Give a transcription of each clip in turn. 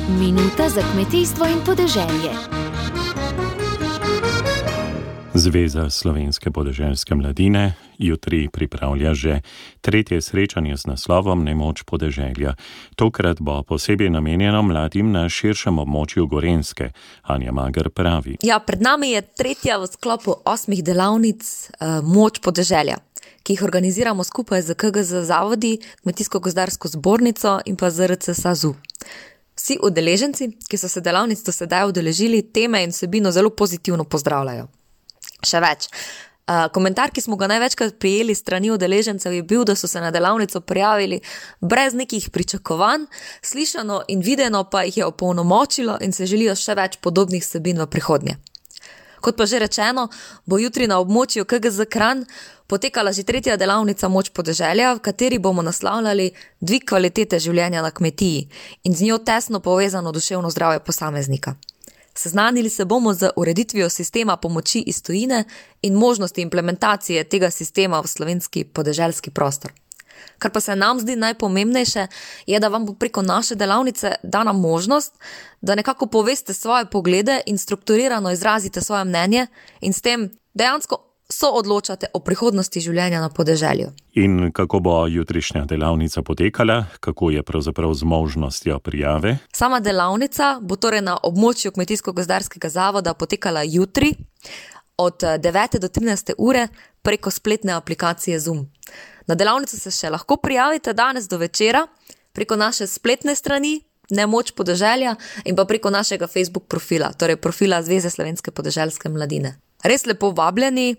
Minuta za kmetijstvo in podeželje. Zveza slovenske podeželske mladine jutri pripravlja že tretje srečanje z naslovom Nemoč podeželja. Tokrat bo posebej namenjeno mladim na širšem območju Gorenjske. Anja Mager pravi. Ja, pred nami je tretja v sklopu 8 delavnic Moč podeželja, ki jih organiziramo skupaj z KGZ zavodi, Kmetijsko-gozdarsko zbornico in pa ZRC SAZU. Vsi udeleženci, ki so se delavnic do sedaj udeležili, teme in vsebino zelo pozitivno pozdravljajo. Še več. Komentar, ki smo ga največkrat prijeli strani udeležencev, je bil, da so se na delavnico prijavili brez nekih pričakovanj, slišano in videno pa jih je opolnomočilo in se želijo še več podobnih vsebin v prihodnje. Kot pa že rečeno, bo jutri na območju KGZ Kranj potekala že tretja delavnica Moč podeželja, v kateri bomo naslavljali dvig kvalitete življenja na kmetiji in z njo tesno povezano duševno zdravje posameznika. Seznanili se bomo z ureditvijo sistema pomoči iz tujine in možnosti implementacije tega sistema v slovenski podeželski prostor. Kar pa se nam zdi najpomembnejše, je, da vam bo preko naše delavnice dana možnost, da nekako poveste svoje poglede in strukturirano izrazite svoje mnenje in s tem dejansko soodločate o prihodnosti življenja na podeželju. In kako bo jutrišnja delavnica potekala? Kako je pravzaprav z možnostjo prijave? Sama delavnica bo torej na območju Kmetijsko-gozdarskega zavoda potekala jutri od 9. do 13. ure preko spletne aplikacije Zoom. Na delavnico se še lahko prijavite danes do večera preko naše spletne strani Nemoč podeželja in pa preko našega Facebook profila, torej profila Zveze slovenske podeželske mladine. Res lepo vabljeni.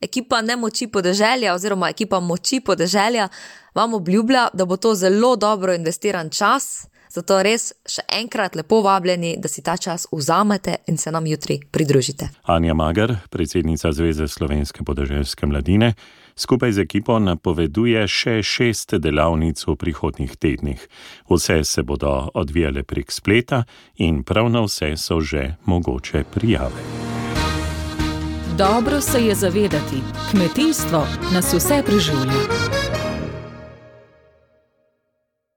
Ekipa Nemoči podeželja oziroma ekipa Moči podeželja vam obljublja, da bo to zelo dobro investiran čas, zato res še enkrat lepo vabljeni, da si ta čas vzamete in se nam jutri pridružite. Anja Mager, predsednica Zveze slovenske podeželske mladine, skupaj z ekipo napoveduje še 6 delavnic v prihodnjih tednih. Vse se bodo odvijale prek spleta in prav na vse so že mogoče prijave. Dobro se je zavedati, kmetijstvo nas vse preživlja.